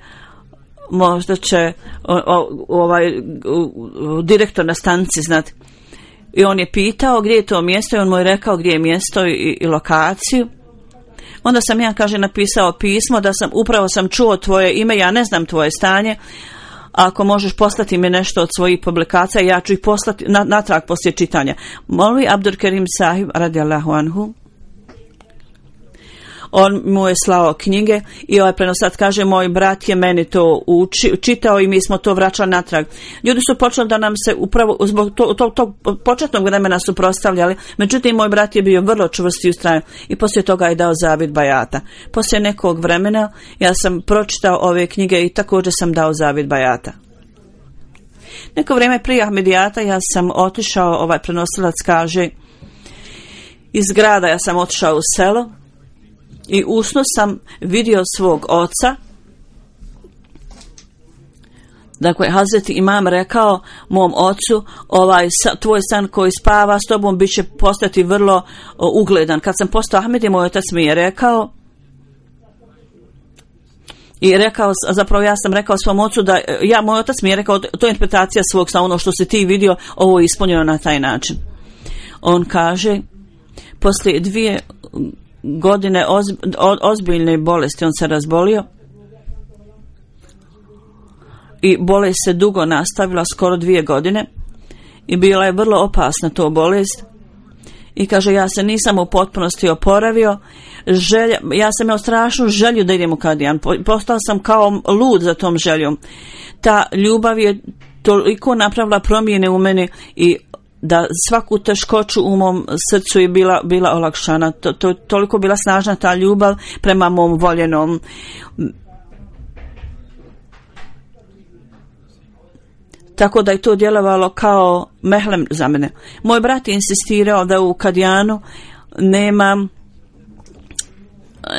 možda će o, o, ovaj o, direktor na stanici znati. I on je pitao gdje je to mjesto i on mu je rekao gdje je mjesto i, i lokaciju. Onda sam ja, kaže, napisao pismo da sam, upravo sam čuo tvoje ime, ja ne znam tvoje stanje, ako možeš poslati mi nešto od svojih publikacija, ja ću ih poslati na, natrag poslije čitanja. Molvi Abdur Kerim Sahib radijallahu anhu, on mu je slao knjige i ovaj prenosat kaže moj brat je meni to uči, čitao i mi smo to vraćali natrag. Ljudi su počeli da nam se upravo zbog tog to, to, početnog vremena suprotstavljali, međutim moj brat je bio vrlo čvrst i ustrajan i poslije toga je dao zavid bajata. Poslije nekog vremena ja sam pročitao ove knjige i također sam dao zavid bajata. Neko vrijeme prije Ahmedijata ja sam otišao, ovaj prenosilac kaže, iz grada ja sam otišao u selo i usno sam vidio svog oca. Dakle, Hazreti Imam rekao mom ocu, ovaj tvoj san koji spava s tobom bit će postati vrlo o, ugledan. Kad sam postao Ahmedi, moj otac mi je rekao i rekao, zapravo ja sam rekao svom ocu da, ja, moj otac mi je rekao, to je interpretacija svog sna, ono što si ti vidio, ovo je ispunjeno na taj način. On kaže, poslije dvije godine oz, ozbiljne bolesti on se razbolio i bolest se dugo nastavila, skoro dvije godine i bila je vrlo opasna to bolest i kaže ja se nisam u potpunosti oporavio, želja, ja sam imao strašnu želju da idem u Kadijan, postao sam kao lud za tom željom. Ta ljubav je toliko napravila promjene u meni i da svaku teškoću u mom srcu je bila, bila olakšana. To, to toliko bila snažna ta ljubav prema mom voljenom. Tako da je to djelovalo kao mehlem za mene. Moj brat je insistirao da u Kadijanu nema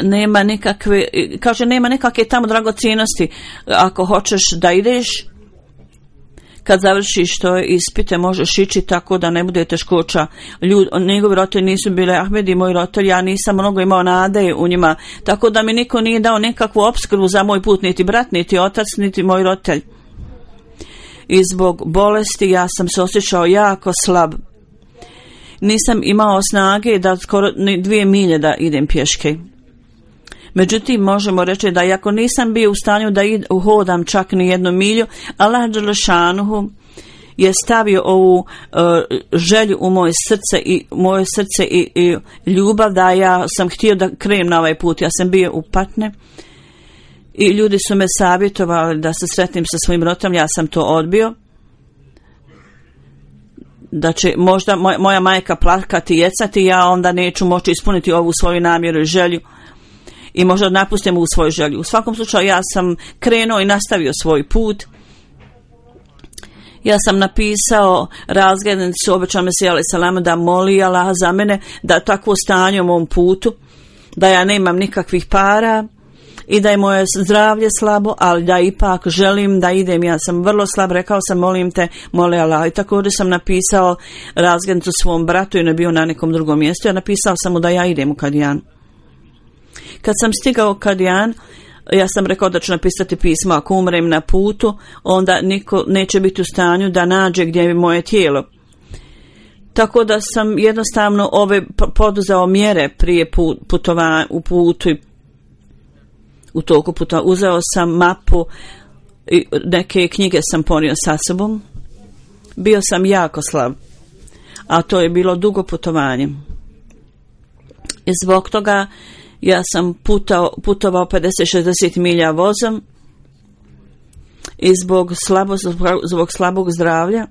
nema nikakve, kaže nema nikakve tamo dragocjenosti. Ako hoćeš da ideš, kad završiš to ispite možeš ići tako da ne bude teškoća. Ljud, njegovi roditelji nisu bile Ahmedi, moji roditelji, ja nisam mnogo imao nade u njima, tako da mi niko nije dao nikakvu opskrbu za moj put, niti brat, niti otac, niti moj roditelj. I zbog bolesti ja sam se osjećao jako slab. Nisam imao snage da skoro dvije milje da idem pješke. Međutim, možemo reći da iako nisam bio u stanju da id, hodam čak ni jednu milju, Allah dželešanuhu je stavio ovu uh, želju u moje srce i moje srce i, i ljubav da ja sam htio da krenem na ovaj put. Ja sam bio u Patne i ljudi su me savjetovali da se sretnim sa svojim roditeljem, ja sam to odbio. Da će možda moj, moja majka plakati i jecati, ja onda neću moći ispuniti ovu svoju namjeru i želju. I možda napustim u svoju želju. U svakom slučaju ja sam krenuo i nastavio svoj put. Ja sam napisao razglednicu, obećao Mesija alejhi selam da moli Allah za mene, da takvo stanje u mom putu, da ja nemam nikakvih para i da je moje zdravlje slabo, ali da ipak želim da idem. Ja sam vrlo slab, rekao sam molim te, moli Allah. I također sam napisao razglednicu svom bratu i ne bio na nekom drugom mjestu. Ja napisao sam mu da ja idem u Kadijan. Kad sam stigao u Kadijan, ja sam rekao da ću napisati pismo, ako umrem na putu, onda niko neće biti u stanju da nađe gdje je moje tijelo. Tako da sam jednostavno ove poduzeo mjere prije putovanja u putu i u toku puta. Uzeo sam mapu i neke knjige sam ponio sa sobom. Bio sam jako slab, a to je bilo dugo putovanje. I zbog toga ja sam putao, putovao pedeset do šezdeset milja vozom i zbog, slabo, zbog slabog zdravlja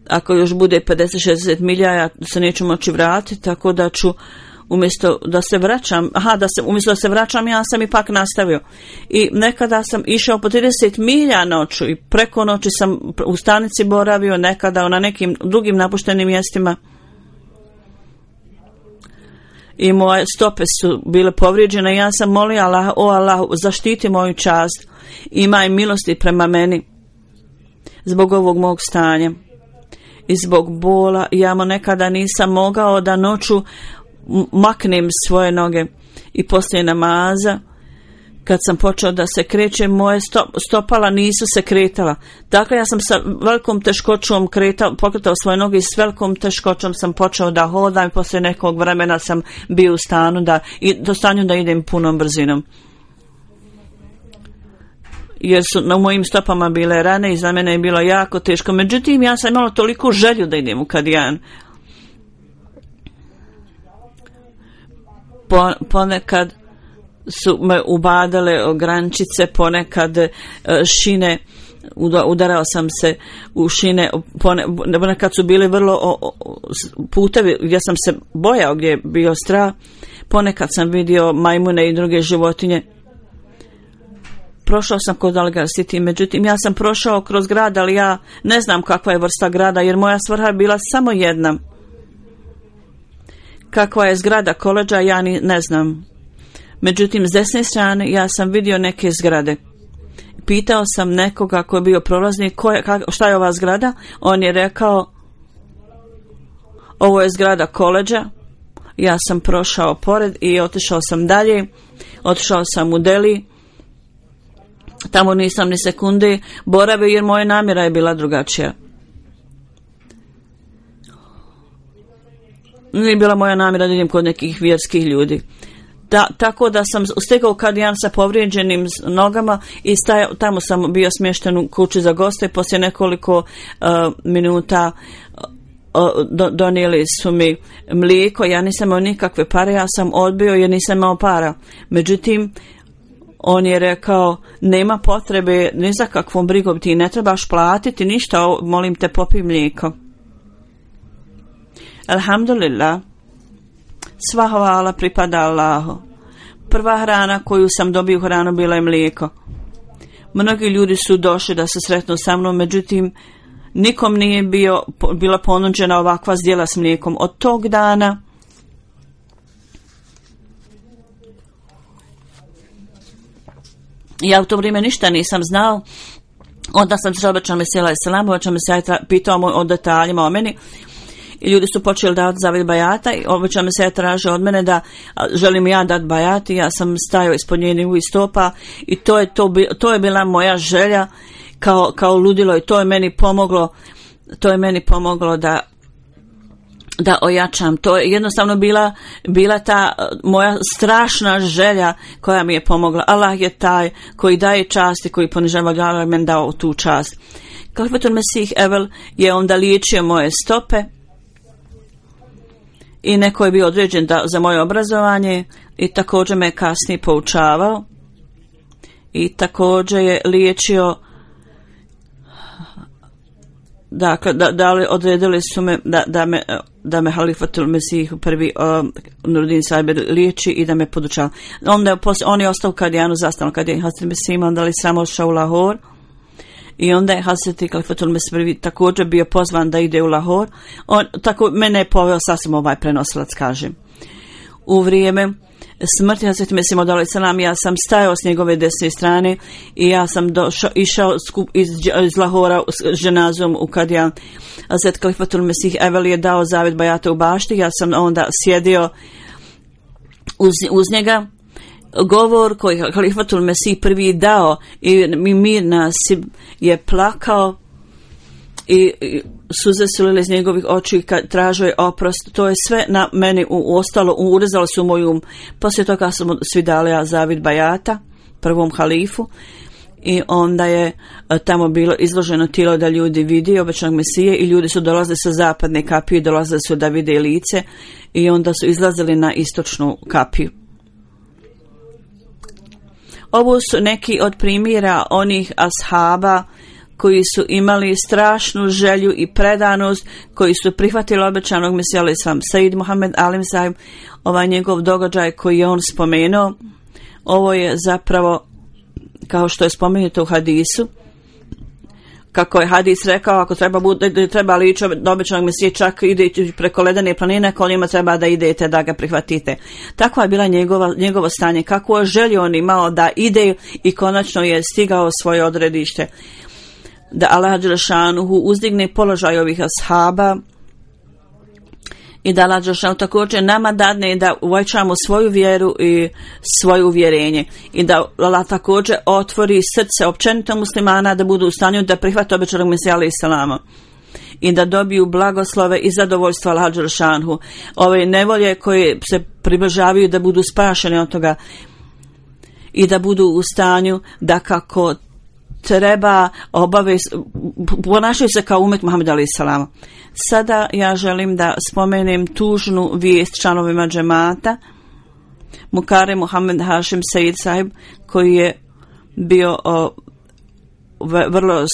ako još bude pedeset šezdeset milja, ja se neću moći vratiti, tako da ću umjesto da se vraćam, aha, da se, umjesto da se vraćam, ja sam ipak nastavio. I nekada sam išao po trideset milja noću i preko noći sam u stanici boravio, nekada na nekim drugim napuštenim mjestima. I moje stope su bile povrijeđene. Ja sam molio Allah, o Allah, zaštiti moju čast, imaj milosti prema meni zbog ovog mog stanja i zbog bola. Ja mu nekada nisam mogao da noću maknem svoje noge i poslije namaza kad sam počeo da se krećem, moje stopala nisu se kretala. Dakle, ja sam sa velikom teškoćom kretao, pokretao svoje noge i s velikom teškoćom sam počeo da hodam i poslije nekog vremena sam bio u stanu da, i do stanju da idem punom brzinom. Jer su na mojim stopama bile rane i za mene je bilo jako teško. Međutim, ja sam imala toliko želju da idem u Kadijan. Po, ponekad su me ubadale grančice, ponekad šine, udarao sam se u šine, ponekad su bili vrlo putevi gdje sam se bojao, gdje je bio strah, ponekad sam vidio majmune i druge životinje. Prošao sam kod Algar City, međutim ja sam prošao kroz grad, ali ja ne znam kakva je vrsta grada, jer moja svrha je bila samo jedna. Kakva je zgrada koledža, ja ni ne znam. Međutim, s desne strane ja sam vidio neke zgrade. Pitao sam nekoga ko je bio prolaznik, ko je, kak, šta je ova zgrada? On je rekao, ovo je zgrada koledža. Ja sam prošao pored i otišao sam dalje. Otišao sam u Delhi. Tamo nisam ni sekunde boravio jer moja namjera je bila drugačija. Nije bila moja namjera da idem kod nekih vjerskih ljudi. Da, tako da sam stigao Kadijan sa povrijeđenim nogama i stajao, tamo sam bio smješten u kući za goste. Poslije nekoliko uh, minuta uh, do, donijeli su mi mlijeko. Ja nisam imao nikakve pare, ja sam odbio jer nisam imao para. Međutim, on je rekao, nema potrebe ni za kakvom brigom, ti ne trebaš platiti ništa, molim te popij mlijeko. Alhamdulillah, sva hvala pripada Allahu. Prva hrana koju sam dobio hranu bila je mlijeko. Mnogi ljudi su došli da se sretnu sa mnom, međutim nikom nije bio, bila ponuđena ovakva zdjela s mlijekom. Od tog dana ja u to vrijeme ništa nisam znao. Onda sam se obećao Mesija Selam, obećao Mesija pitao o detaljima o meni. I ljudi su počeli davati zavid bajata i obećao me se je tražio od mene da želim ja dati bajati. Ja sam stajao ispod njenih stopa i to je, to, to je bila moja želja kao, kao ludilo i to je meni pomoglo, to je meni pomoglo da da ojačam. To je jednostavno bila, bila ta moja strašna želja koja mi je pomogla. Allah je taj koji daje čast i koji ponižava, Allah je meni dao tu čast. Kalifetul Mesih Evel je onda liječio moje stope i neko je bio određen da, za moje obrazovanje i također me kasnije poučavao i također je liječio, dakle, da, da li odredili su me da, da me da me Halifatul Mesih prvi uh, Nuruddin Sahib liječi i da me podučava. Onda je posle, on je ostao u Kadijanu, zastavno kad je Hazreti Mesih imao, onda li samo ošao u Lahor. I onda je Hazreti Kalifatul Mesih prvi također bio pozvan da ide u Lahor. On, tako mene je poveo sasvim ovaj prenosilac, kažem. U vrijeme smrti Hazreti Mesih Maud alejhi selam ja sam stajao s njegove desne strane i ja sam došao, išao skup iz, iz Lahora s ženazom u Kadijan. Hazreti Kalifatul Mesih Evel je dao zavet bajata u bašti, ja sam onda sjedio uz, uz njega. Govor koji Halifatul Mesih prvi dao i Mir Nasib je plakao i, i suze su lile iz njegovih očiju kad tražio je oprost. To je sve na meni u, u ostalo, urezalo su u moju um. Poslije toga sam svi dali zavid bajata prvom halifu i onda je tamo bilo izloženo tijelo da ljudi vidi obećanog Mesije i ljudi su dolazili sa zapadne kapije, dolazili su da vide lice i onda su izlazili na istočnu kapiju. Ovo su neki od primjera onih ashaba koji su imali strašnu želju i predanost, koji su prihvatili obećanog Mesija alejhi selam. Said Muhammed Alim Sahib, ovaj njegov događaj koji je on spomenuo, ovo je zapravo, kao što je spomenuto u hadisu, kako je hadis rekao, ako treba, bude, treba lići do obećanog Mesije, čak ide preko ledene planine, koljima treba da idete, da ga prihvatite. Takva je bila njegova, njegovo stanje, kako je želio on imao da ide i konačno je stigao svoje odredište. Da Allah dželešanuhu uzdigne položaj ovih ashaba i da Allah dželešanuhu također nama dadne da uvećamo svoju vjeru i svoje uvjerenje i da Allah također otvori srce općenito muslimana da budu u stanju da prihvate obećanog Mesija alejhi selama i da dobiju blagoslove i zadovoljstvo Allah dželešanuhu. Ove nevolje koje se približavaju da budu spašeni od toga i da budu u stanju da kako treba obave, ponašaju se kao umet Muhammed alejhi selam. Sada ja želim da spomenem tužnu vijest članovima džemata. Mukare Muhammed Hašim Said Sahib, koji je bio o, v, vrlo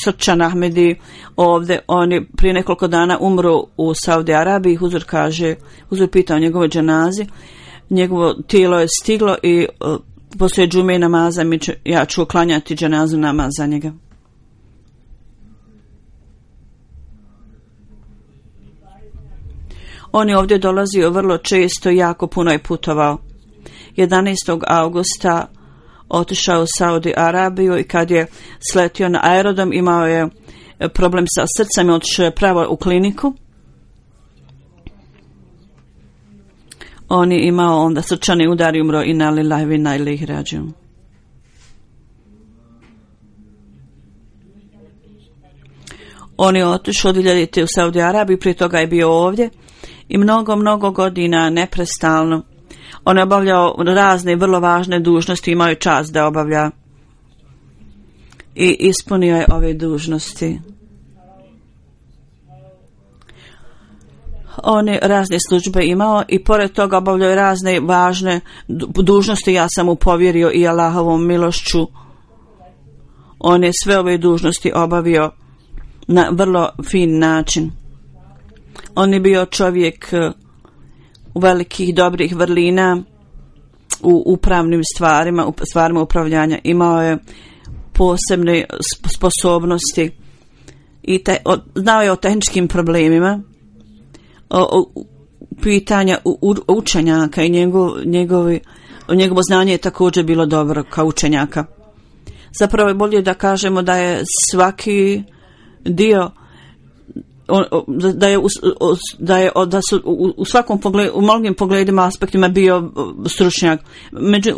srčan Ahmedi ovdje, on je prije nekoliko dana umro u Saudi Arabiji. Huzur kaže, Huzur pita o njegove dženazi, njegovo tijelo je stiglo i o, poslije džume i namaza mi ću, ja ću uklanjati dženazu namaz za njega. On je ovdje dolazio vrlo često, jako puno je putovao. jedanaestog augusta otišao u Saudi Arabiju i kad je sletio na aerodrom imao je problem sa srcem i otišao je pravo u kliniku. On je imao onda srčani udar i umro inna lillahi wa inna ilaihi rađiun. On je otišao dvije hiljadite u Saudi Arabiju, prije toga je bio ovdje i mnogo, mnogo godina neprestalno. On je obavljao razne vrlo važne dužnosti, imao je čast da obavlja i ispunio je ove dužnosti. On je razne službe imao i pored toga obavljao razne važne dužnosti. Ja sam mu povjerio i Allahovom milošću. On je sve ove dužnosti obavio na vrlo fin način. On je bio čovjek velikih dobrih vrlina u upravnim stvarima, u stvarima upravljanja. Imao je posebne sposobnosti i te, o, znao je o tehničkim problemima, o, o pitanja u, u, učenjaka i njegov, njegovi, njegovo znanje je također bilo dobro kao učenjaka. Zapravo je bolje da kažemo da je svaki dio da je da je da su u svakom pogledu, u mnogim pogledima, aspektima bio stručnjak. Među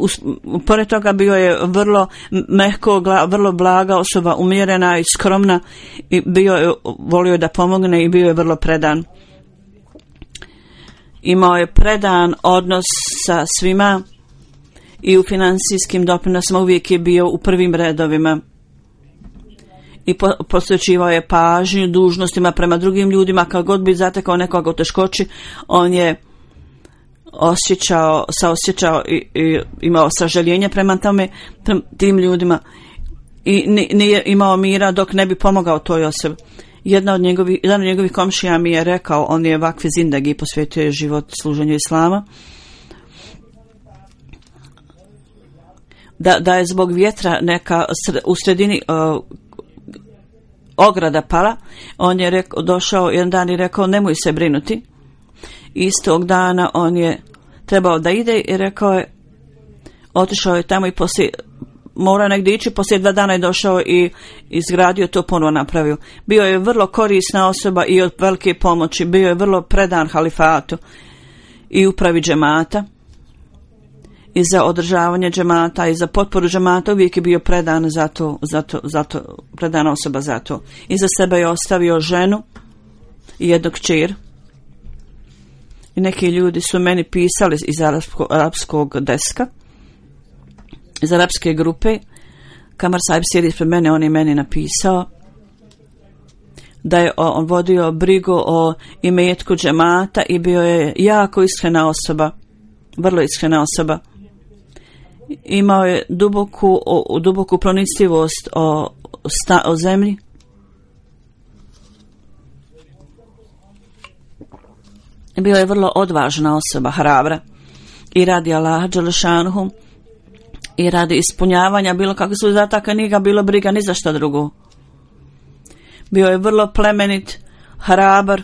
pored toga bio je vrlo mehko, vrlo blaga osoba, umjerena i skromna i bio je, volio da pomogne i bio je vrlo predan. Imao je predan odnos sa svima i u financijskim doprinosima uvijek je bio u prvim redovima. I posvećivao je pažnju dužnostima prema drugim ljudima. Kad god bi zatekao nekoga u teškoći, on je osjećao, saosjećao i, i imao sažaljenje prema tome, prema tim ljudima i nije imao mira dok ne bi pomogao toj osobi. Jedna od njegovih, jedan od njegovih komšija mi je rekao, on je vakfi zindagi, posvetio je život služenju islama, da, da je zbog vjetra neka u sredini uh, ograda pala. On je rekao, došao jedan dan i rekao nemoj se brinuti. Istog dana on je trebao da ide i rekao je, otišao je tamo i poslije, mora negdje ići, poslije dva dana je došao i izgradio to, ponovo napravio. Bio je vrlo korisna osoba i od velike pomoći, bio je vrlo predan halifatu i upravi džemata i za održavanje džemata i za potporu džemata, uvijek je bio predan za to, za to, za to, predana osoba za to. I za sebe je ostavio ženu i jednog kćer. I neki ljudi su meni pisali iz arapsko, arapskog deska, iz arapske grupe. Kamar Sahib sjedi ispred mene, on je meni napisao da je on vodio brigu o imetku džemata i bio je jako iskrena osoba, vrlo iskrena osoba. Imao je duboku, o, duboku pronicljivost o sta, o zemlji. Bio je vrlo odvažna osoba, hrabra, i radi Allaha dželešanuhu i radi ispunjavanja bilo kakvih zadataka, nije ga bilo briga ni za što drugo. Bio je vrlo plemenit, hrabar,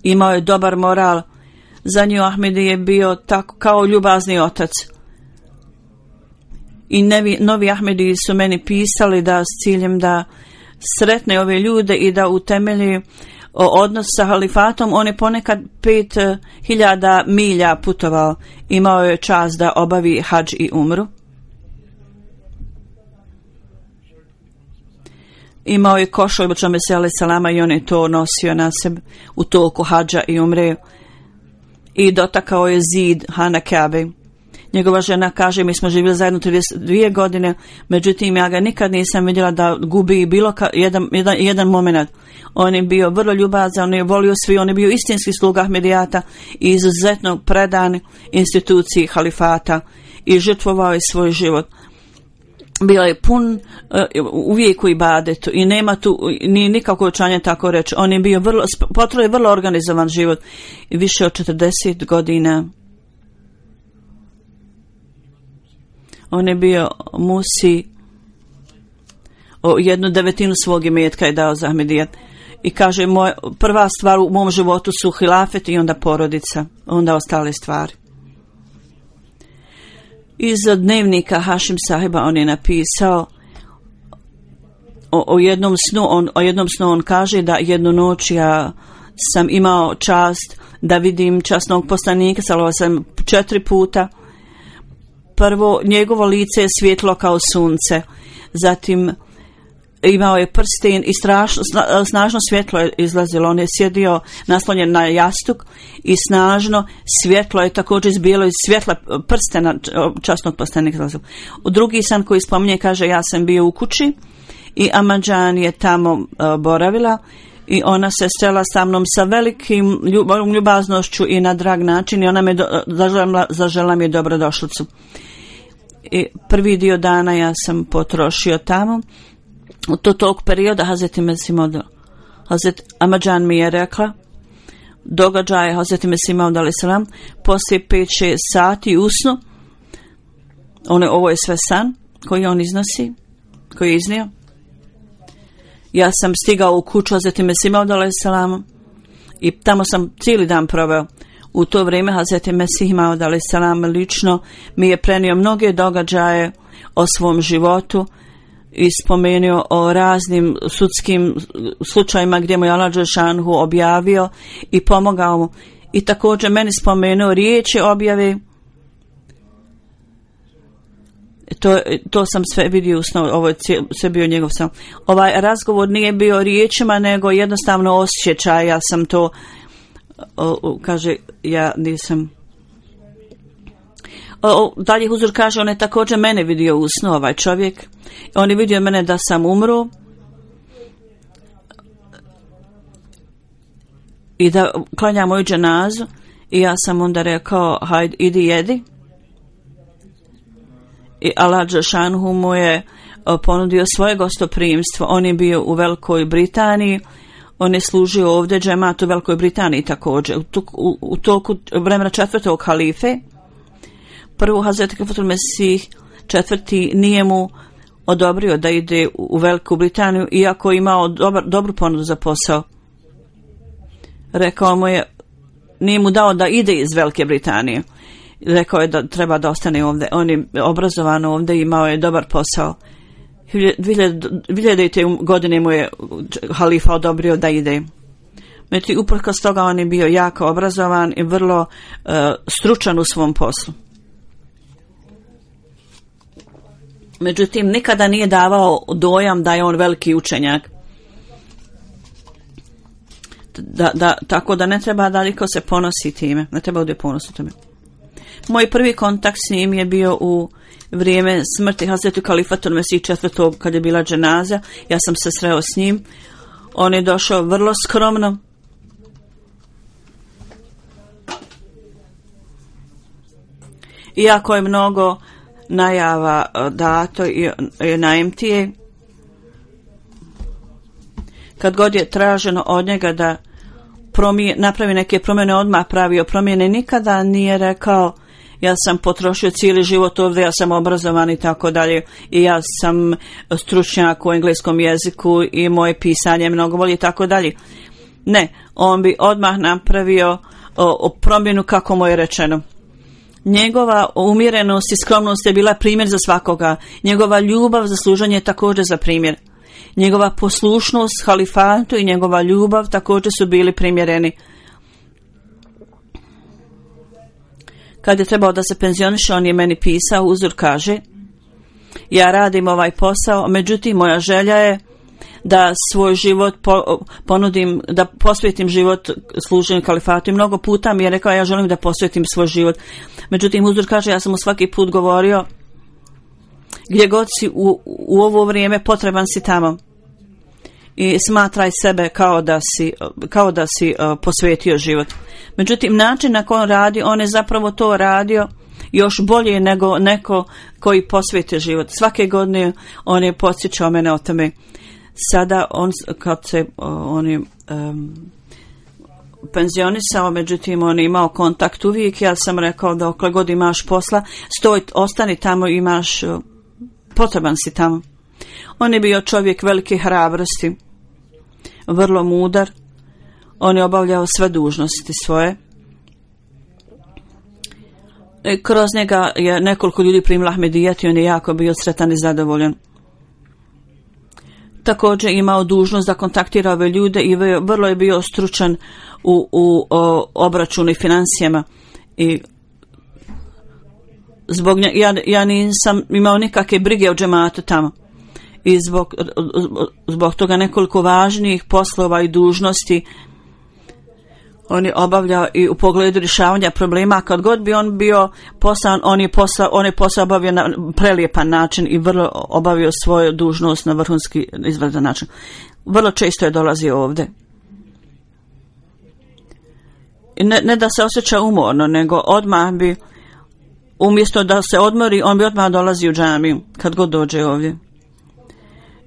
imao je dobar moral. Za nju Ahmedi je bio tako kao ljubazni otac. I nevi, novi Ahmedi su meni pisali da s ciljem da sretne ove ljude i da utemelji odnos sa halifatom. On je ponekad pet hiljada milja putovao. Imao je čast da obavi hadž i umru. Imao je košulj Božome se alejhi selama i on je to nosio na sebi u toku hadža i umre. I dotakao je zid Hana Kabe. Njegova žena kaže, mi smo živjeli zajedno trideset dvije godine, međutim ja ga nikad nisam vidjela da gubi bilo ka, jedan, jedan, jedan moment. On je bio vrlo ljubazan, on je volio svi, on je bio istinski sluga Ahmedijata i izuzetno predan instituciji halifata i žrtvovao je svoj život. Bio je pun uh, uvijek u ibadetu i nema tu ni nikako učanje tako reći. On je bio vrlo, potrebno je vrlo organizovan život i više od četrdeset godina. On je bio musi, o jednu devetinu svog imetka je dao za Ahmedijat. I kaže, moj, prva stvar u mom životu su hilafet i onda porodica, onda ostale stvari. Iz dnevnika Hašim Sahiba on je napisao o, o jednom snu, on, o jednom snu on kaže da jednu noć ja sam imao čast da vidim časnog poslanika, sallallahu alejhi ve sellem, četiri puta. Prvo, njegovo lice je svjetlo kao sunce, zatim imao je prsten i strašno, snažno svjetlo je izlazilo. On je sjedio naslonjen na jastuk i snažno svjetlo je također izbijelo iz svjetla prstena časnog poslanika. U drugi san koji spominje kaže, ja sam bio u kući i Amadžan je tamo uh, boravila i ona se srela sa mnom sa velikim ljubaznošću i na drag način i ona me do, zažela, zažela mi je dobrodošlicu. I prvi dio dana ja sam potrošio tamo. U to tog perioda Hazreti Mesih Maud, Hazreti Amadžan mi je rekla događaje Hazreti Mesih Maud alejhi selam poslije pet šest sati usnu. One, ovo je sve san koji on iznosi, koji je iznio. Ja sam stigao u kuću Hazreti Mesih Maud alejhi selam i tamo sam cijeli dan proveo. U to vrijeme Hazreti Mesih Maud alejhi selam lično mi je prenio mnoge događaje o svom životu i spomenuo o raznim sudskim slučajima gdje mu je Allah dželešanuhu objavio i pomogao mu. I također meni spomenuo riječi objave. To, to sam sve vidio u snu, ovo je sve bio njegov sam. Ovaj razgovor nije bio riječima, nego jednostavno osjećaj. Ja sam to, o, o, kaže, ja nisam... O, dalje Huzur kaže, on je također mene vidio u snu, ovaj čovjek. On je vidio mene da sam umro i da klanja moju dženazu i ja sam onda rekao, hajde, idi jedi. I Allah dželešanuhu mu je ponudio svoje gostoprimstvo. On je bio u Velikoj Britaniji, on je služio ovdje džemat u Velikoj Britaniji također. U, u, u toku vremena četvrtog halife, prvo Hazreti Khalifatul Mesih četvrti nije mu odobrio da ide u Veliku Britaniju, iako je imao dobar, dobru ponudu za posao. Rekao mu je, nije mu dao da ide iz Velike Britanije. Rekao je da treba da ostane ovdje. On je obrazovan ovdje i imao je dobar posao. hiljadite godine mu je halifa odobrio da ide. Međutim, uprkos toga on je bio jako obrazovan i vrlo uh, stručan u svom poslu. Međutim, nikada nije davao dojam da je on veliki učenjak. Da, da, tako da ne treba da niko se ponosi time. Ne treba da ponosi time. Moj prvi kontakt s njim je bio u vrijeme smrti Hazreti Khalifatul Mesih četvrtog kad je bila dženaza. Ja sam se sreo s njim. On je došao vrlo skromno. Iako je mnogo najava dato i na em te a, kad god je traženo od njega da promije, napravi neke promjene, odmah pravio promjene, nikada nije rekao ja sam potrošio cijeli život ovdje, ja sam obrazovan i tako dalje i ja sam stručnjak u engleskom jeziku i moje pisanje je mnogo bolje i tako dalje. Ne, on bi odmah napravio o, o promjenu kako mu je rečeno. Njegova umjerenost i skromnost je bila primjer za svakoga. Njegova ljubav za služenje je također za primjer. Njegova poslušnost halifatu i njegova ljubav također su bili primjereni. Kad je trebao da se penzioniše, on je meni pisao, uzor kaže, ja radim ovaj posao, međutim moja želja je da svoj život po, ponudim, da posvetim život služenju kalifatu. I mnogo puta mi je rekao ja želim da posvetim svoj život. Međutim, uzor kaže, ja sam mu svaki put govorio, gdje god si u, u ovo vrijeme potreban si tamo. I smatraj sebe kao da si, kao da si uh, posvetio život. Međutim, način na koji on radi, on je zapravo to radio još bolje nego neko koji posvetio život. Svake godine on je podsjećao mene o tome. Sada on, kad se on je um, penzionisao, međutim on je imao kontakt uvijek. Ja sam rekao da okle god imaš posla, stoj, ostani tamo, imaš, uh, potreban si tamo. On je bio čovjek velike hrabrosti, vrlo mudar. On je obavljao sve dužnosti svoje. I kroz njega je nekoliko ljudi primilo Ahmedijet i on je jako bio sretan i zadovoljan. Također imao dužnost da kontaktira ove ljude i vrlo je bio stručan u, u o, obračunu i financijama. I zbog nje, ja, ja nisam imao nikakve brige o džematu tamo. I zbog, zbog toga nekoliko važnijih poslova i dužnosti on je obavljao i u pogledu rješavanja problema. Kad god bi on bio poslan, on je posao, on je posao obavio na prelijepan način i vrlo obavio svoju dužnost na vrhunski izvrstan način. Vrlo često je dolazio ovdje. I ne, ne da se osjeća umorno, nego odmah bi, umjesto da se odmori, on bi odmah dolazio u džamiju kad god dođe ovdje.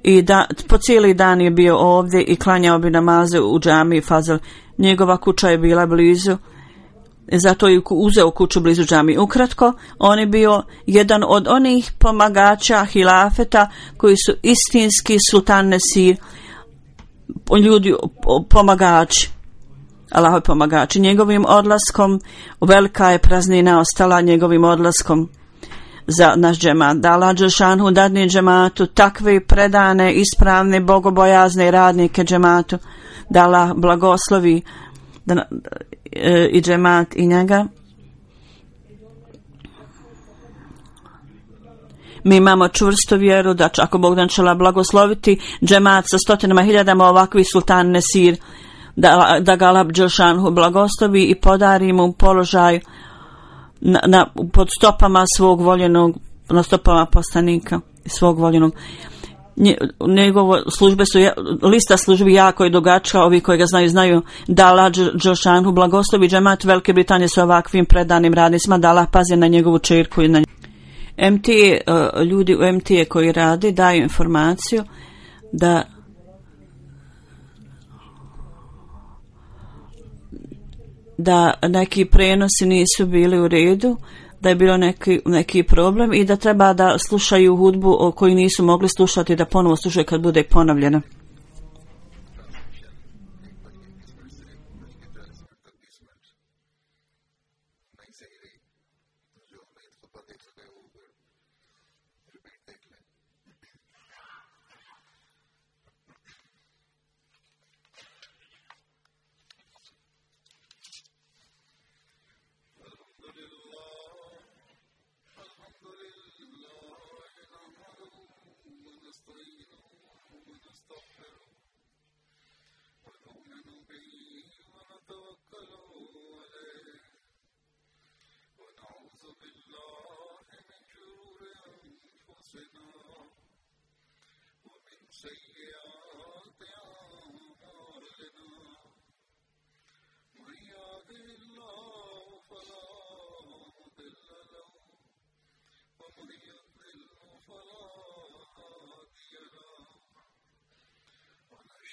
I da, po cijeli dan je bio ovdje i klanjao bi namaze u džamiji Fazl. Njegova kuća je bila blizu, zato je uzeo kuću blizu džamije. Ukratko, on je bio jedan od onih pomagača hilafeta koji su istinski sultan Nesir, ljudi pomagači, Allahovi pomagači. Njegovim odlaskom velika je praznina ostala, njegovim odlaskom za naš džemat. Da Allah dželšanhu dadne džematu takve predane, ispravne, bogobojazne radnike džematu. Da Allah blagoslovi da, e, i džemat i njega. Mi imamo čvrstu vjeru da će, ako Bog dan će Allah blagosloviti džemat sa stotinama hiljadama ovakvih sultan Nesir, da, da ga Allah dželšanhu blagoslovi i podari mu položaj na, na, pod stopama svog voljenog, na stopama poslanika svog voljenog. Njegove službe su, lista službi jako je dugačka, ovi koji ga znaju, znaju da Allah dželšanhu blagoslovi džemat Velike Britanije sa ovakvim predanim radnicima, da Allah pazi na njegovu čerku i na M T A, ljudi u M T A koji rade daju informaciju da da neki prenosi nisu bili u redu, da je bilo neki, neki problem i da treba da slušaju hudbu o koju nisu mogli slušati, da ponovo slušaju kad bude ponovljena.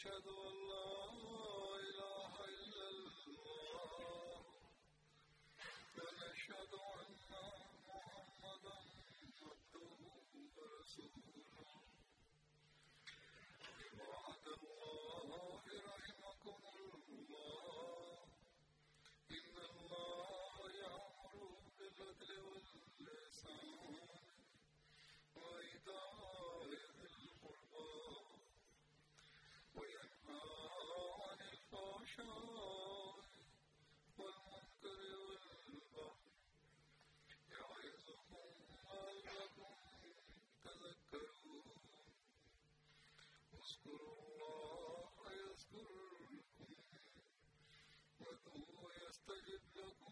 أشهد أن يستجب لكم